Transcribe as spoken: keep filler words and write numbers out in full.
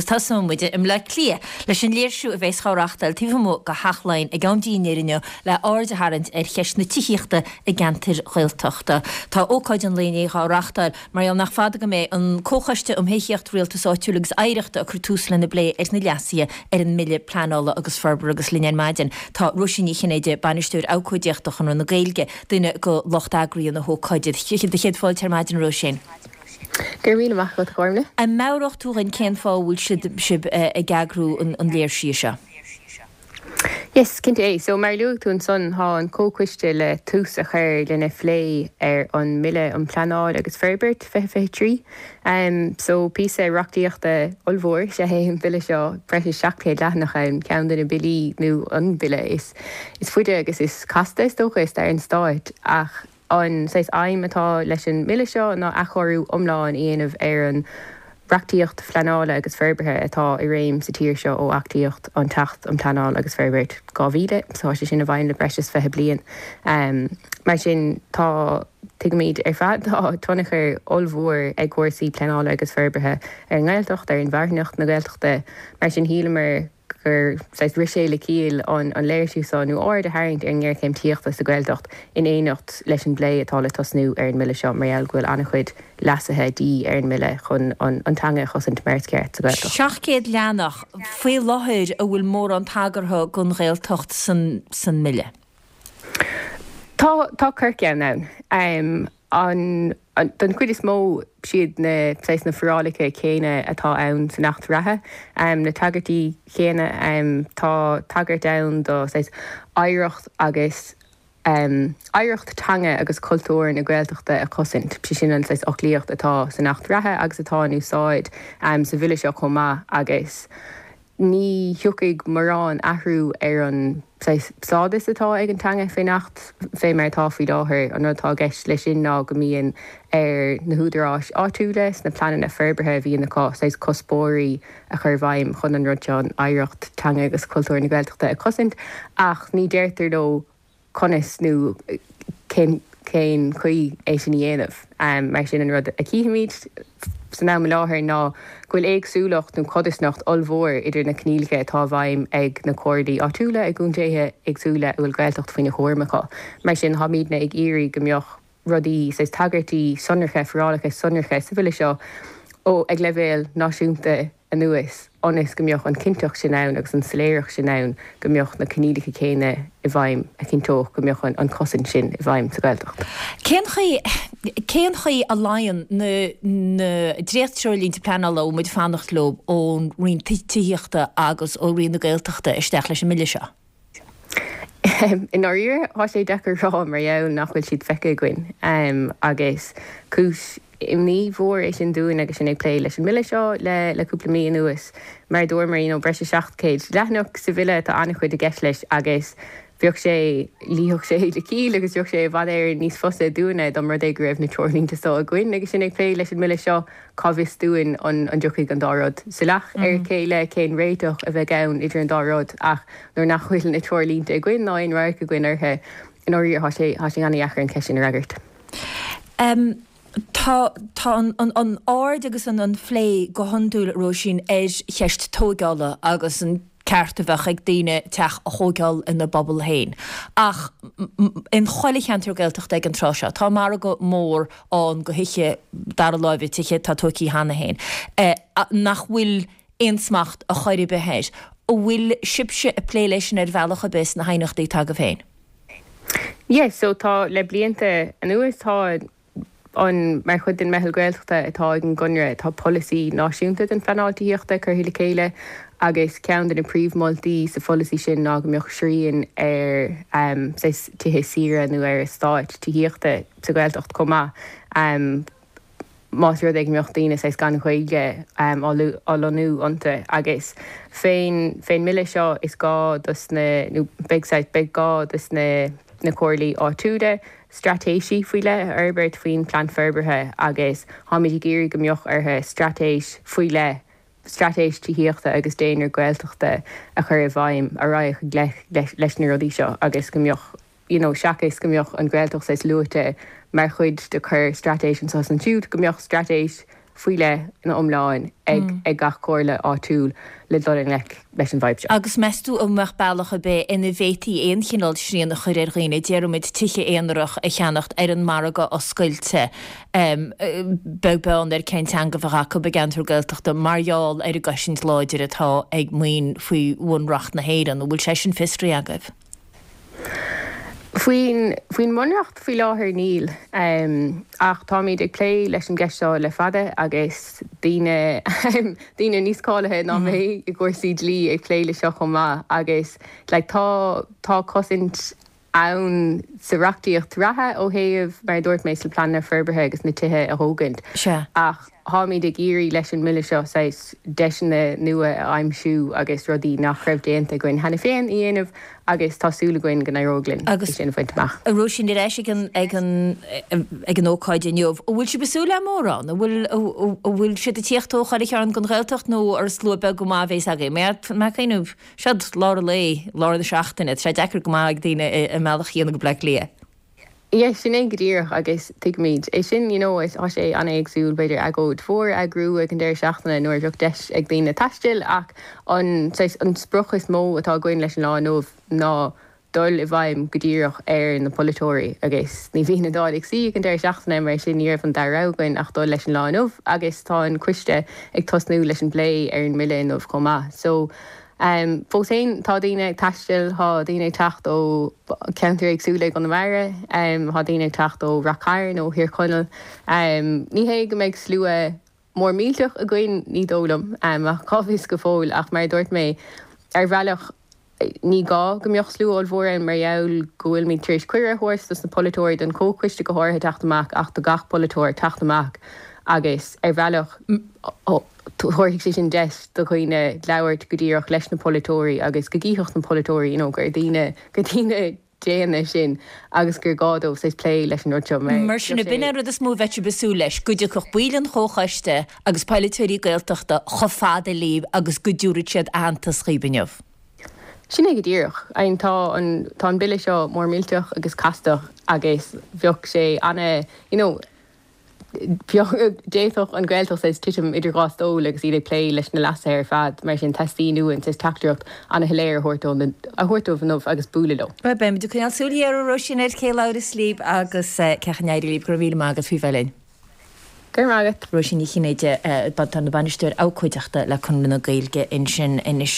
tosóidh muid i mBleá Cliath leis an léirsiú a bheas á reáchtáil taobh amuigh de Theach Laighean ag am dinnéir inniu le aird a tharraingt ar cheist na tithíochta i gceantair Ghaeltachta. Tá ócáid an lae inné á reáchtáil mar gheall nach fada go mbeidh an Comhchoiste um Thithíocht Rialtas Áitiúil agus Oidhreachta ag cur tús lena bplé ar na leasuithe ar an mBille Pleanála agus Forbartha agus linn ar maidin. Tá Róisín Ní Chinnéide, Bainisteoir Abhcóideachta Chonradh na Gaeilge, duine de lucht eagraithe na hócáide. Do chéad fáilte ar maidin Róisín. Gur mí amach go chuimne? An meabhróidh tú dúinn cén fáth a bhfuil siad sibh ag eagrú an léirsiú seo. Yes, cinnte é, so mar luaigh tú ansan tá an comhchoiste le tús a chur lena phlé ar an mBille um Pleanáil agus Forbairt fiche fiche trí. Um, so píosa reachtaíochta ollmhór is ea é an bille seo breis is seacht céad leathanach ann ceann de na billí nó an bille is is faide agus is casta is dócha i stair an stáit ach an saghas aidhm atá leis an mbille seo ná athchóiriú iomlán a dhéanamh ar an reachtaíocht phleanála agus forbartha atá i réim sa tír seo ó achtaíodh an tAcht um Pleanáil agus Forbairt dhá mhíle, so tá sé sin i bhfeidhm le breis is fiche bliain. Um, mar sin tá tuigimid ar fad tá tionchar ollmhór ag cúrsaí pleanála agus forbartha ar an nGaeltacht ar inmharthanacht na Gaeltachta, mar sin shíleamar gur rith sé le ciall an an léirsiú seo nó aird a tharraingt ar an ngéarchéim tithíochta sa Ghaeltacht in éineacht leis an bplé atá le tosnú ar an mbille seo mar gheall go bhfuil an-chuid leasuithe de dhíth ar an mbille chun an, an teanga a chosaint mar is ceart sa Ghaeltacht. Seacht gcéad leathanach faoi láthair an bhfuil mórán tagartha don Ghaeltacht san, san mbille. Tá tá corrcheann ann. Um, an, an, don chuid is mó siad na saghas na forálacha céanna atá ann san Acht reatha. Um, na tagairtí céanna um, tá tagairt ann do saghas oidhreacht agus um, oidhreacht teanga agus cultúr na Gaeltachta a chosaint. Sé sin an saghas fhoclaíocht atá san Acht reatha agus atá in úsáid um, sa bhille seo chomh maith agus ní thiocfaidh mórán athrú ar an stádas atá ag an teanga faoin Acht fé mar atá faoi láthair an rud atá i gceist leis sin ná go mbíonn ar na húdaráis áitiúla sna pleananna forbartha a bhíonn acu saghas cuspóirí a chur i bhfeidhm chun an rud seo an oidhreacht teanga agus cultúr na Gaeltachta a chosaint ach ní deirtear leo conas nó cén cén chaoi é sin a dhéanamh. Um, mar sin an rud a chímid san am i láthair ná go bhfuil éagsúlacht nó codarsnacht ollmhór idir na coinníollacha atá i bhfeidhm ag na comhairlí áitiúla i gcontaetha éagsúla a bhfuil Gaeltacht faoina chúram acu. Mar sin táimidne ag iarraidh go mbeadh rudaí saghas tagairtí sonracha forálacha sonracha sa bhille seo ó ag leibhéal náisiúnta anuas ionas go mbeadh an chinnteacht sin ann agus an soiléireacht sin ann go mbeadh na coinníollacha céanna i bhfeidhm a chinnteodh go mbeadh an, an chosaint sin i bhfeidhm sa Ghaeltacht. Cén chaoi cén chaoi a luíonn na, na dréacht-treoirlínte pleanála a bhfuil muid ag fanacht leo ón Roinn Tithíochta agus ó Roinn na Gaeltachta isteach leis an mbille seo? I ndáiríre tá sé deacair rá mar gheall nach bhfuil siad feicthe againn um, agus cúis imní mhór é sin dúinn agus sinn ag plé leis an mbille seo le le cúpla mí anuas mar dúramar you know, breis is seacht céad leathanach sa bhille tá an-chuid i gceist leis agus bheadh sé luífeadh sé le ciall agus bheadh sé i bhfad Éireann níos fusa dúinne dá mba rud é go raibh na treoirlínte seo againn agus sinn ag plé leis an mbille seo cá bhfios dúinn an an dtiocfaidh an dá rud salach ar a chéile cén réiteach a bheidh ann idir an dá rud ach nuair nach bhfuil na treoirlínte againn ná aon radharc againn orthu i ndáiríre tá sé tá sé an-deacair an cheist sin a fhreagairt. Um, Tá tá an, an, an aird agus an an plé go hiondúil Róisín ar cheist tógála agus an ceart a bheith ag daoine teach a thógáil ina bpobal féin. Ach in chuile cheantar Gaeltachta ag an tráth seo, tá margadh mór ann do thithe dara láimhe tithe atá tógtha cheana féin. Eh, nach bhfuil aon smacht a chor ar bith air. An bhfuil sibhse ag plé leis sin ar bhealach ar bith sna haighneachtaí atá agaibh féin. Yes, so tá le blianta anuas tá an mar chuid den meitheal Gaeltachta atá ag an gConradh tá polasaí náisiúnta den phleanáil tithíochta curtha le chéile agus ceann de na príomh-mholtaí sa pholasaí sin ná go mbeadh srian ar um, tithe saoire nó ar eastáit tithíochta sa Ghaeltacht chomh maith. Um, más rud é go mbeadh daoine saghas gan Ghaeilge um, á lonnú iontu agus fén fén mbille seo is gá dos na nó beidh beidh gá dos na na comhairlí áitiúla straitéisí faoi leith a fhorbairt faoin plean forbartha agus táimid ag iarraidh go mbeadh orthu straitéis faoi leith straitéis tithíochta agus daonra Gaeltachta a chur i bhfeidhm a raghaidh leis, leis na rudaí seo agus go mbeadh you know, seachas go mbeadh an Ghaeltacht saghas luaite mar chuid de chur straitéis anseo is ansiúd go mbeadh straitéis faoi leith ina iomlán ag ag gach comhairle áitiúil le dul i ngleic leis an bhfadhb seo. Agus meas tú an mbeadh bealach ar bith ina bhféadfaí aon chineál srian a chur ar dhaoine, déarfaimid tithe aonarach a cheannacht ar an margadh oscailte, beag beann ar cén teanga a bheadh acu i gceantar Gaeltachta, mar gheall ar an gcosaint láidir atá ag maoin faoi Bhunreacht na hÉireann. An bhfuil sé sin fiosraithe agaibh? Faoin faoin mbunreacht faoi láthair níl, ach táimid ag plé leis an gceist seo le fada agus daoine daoine níos cáilithe ná mé i gcúrsaí dlí ag plé le seo chomh maith agus like tá tá cosaint ann sa reachtaíocht reatha ó thaobh mar a dúirt mé sna pleananna forbartha agus na tithe a thógaint ach táimid ag iarraidh leis an mBille seo saghas deiseanna nua a aimsiú agus rudaí nach raibh déanta againn cheana féin a dhéanamh agus tá súil againn go n-éireoidh linn é sin a bhaint amach. A Róisín, ar ais ag an ag an ag an ócáid inniu, an bhfuil sibh ag súil le mórán? An bhfuil an bhfuil siad ag tíocht ó chuile chearn den Ghaeltacht nó ar slua beag go maith a bheas agaibh? Mé ag cuimhneamh, seod lár an lae, lár na seachtaine, tá sé deacair go maith ag daoine i mbealach a dhéanamh go Bleá Cliath. Yeah, sin é go díreach agus tuigimid é sin, you know, tá sé an-éagsúil b'fhéidir agóid mhór a eagrú ag an deireadh seachtaine nuair a bheadh deis ag daoine taisteal ach an saghas an sprioc is mó atá againn leis an lá inniu ná dul i bhfeidhm go díreach ar na polaiteoirí agus ní bhíonn an Dáil ag suí ag an deireadh seachtaine mar sin ní raibh an dara rogha againn ach dul leis an lá inniu agus tá an coiste ag tosnú leis an bplé ar an mBille inniu chomh maith. So Fós féin, tá daoine ag taisteal, tá daoine ag teacht ó cheantair éagsúla i gConamara, tá daoine ag teacht ó Rath Cairn, ó Thír Chonaill. Ní hé go mbeidh slua mór millteach againn, ní dóigh liom, ach cá bhfios go fóill. Ach mar a dúirt mé, ar bhealach, ní gá go mbeadh slua ollmhór ann mar gheall go bhfuilimid tar éis cuireadh a thabhairt dos na polaiteoirí, don chomhchoiste go háirithe teacht amach ach do gach polaiteoir teacht amach agus ar bhealach, Tabharfaidh sé sin deis do dhaoine labhairt go díreach leis na polaiteoirí agus go gcífeadh na polaiteoirí you know gur daoine, gur daoine daonna sinn agus gur gá dóibh saghas plé leis an rud seo mar Mar sin, ab in é an rud is mó a bheadh sibh ag súil leis, go dtiocfadh baill an Chomhchoiste agus polaiteoirí Gaeltachta chomh fada libh agus go dtabharfadh siad aitheantas dhaoibh inniu? Sin é go díreach. I mean tá an, tá an Bille seo mór millteach agus castach agus bheadh sé ana, you know, D'fhéadfadh an Ghaeltacht saghas titim idir dhá stól agus iad ag plé leis na leasuithe ar fad, mar sin teastaíonn uainn saghas teachtaireacht an-shoiléir a thabhairt dóibh inniu agus bualadh leo. Bhuel, beimid ag coinneáil súil ghéar, a Róisín, ar cé labhras libh agus cén chaoi a n-éireoidh libh. Go raibh míle maith agat faoi bheith linn. Go raibh maith agat. Róisín Ní Chinnéide, atá ina bainisteoir abhcóideachta le Conradh na Gaeilge ansin anois.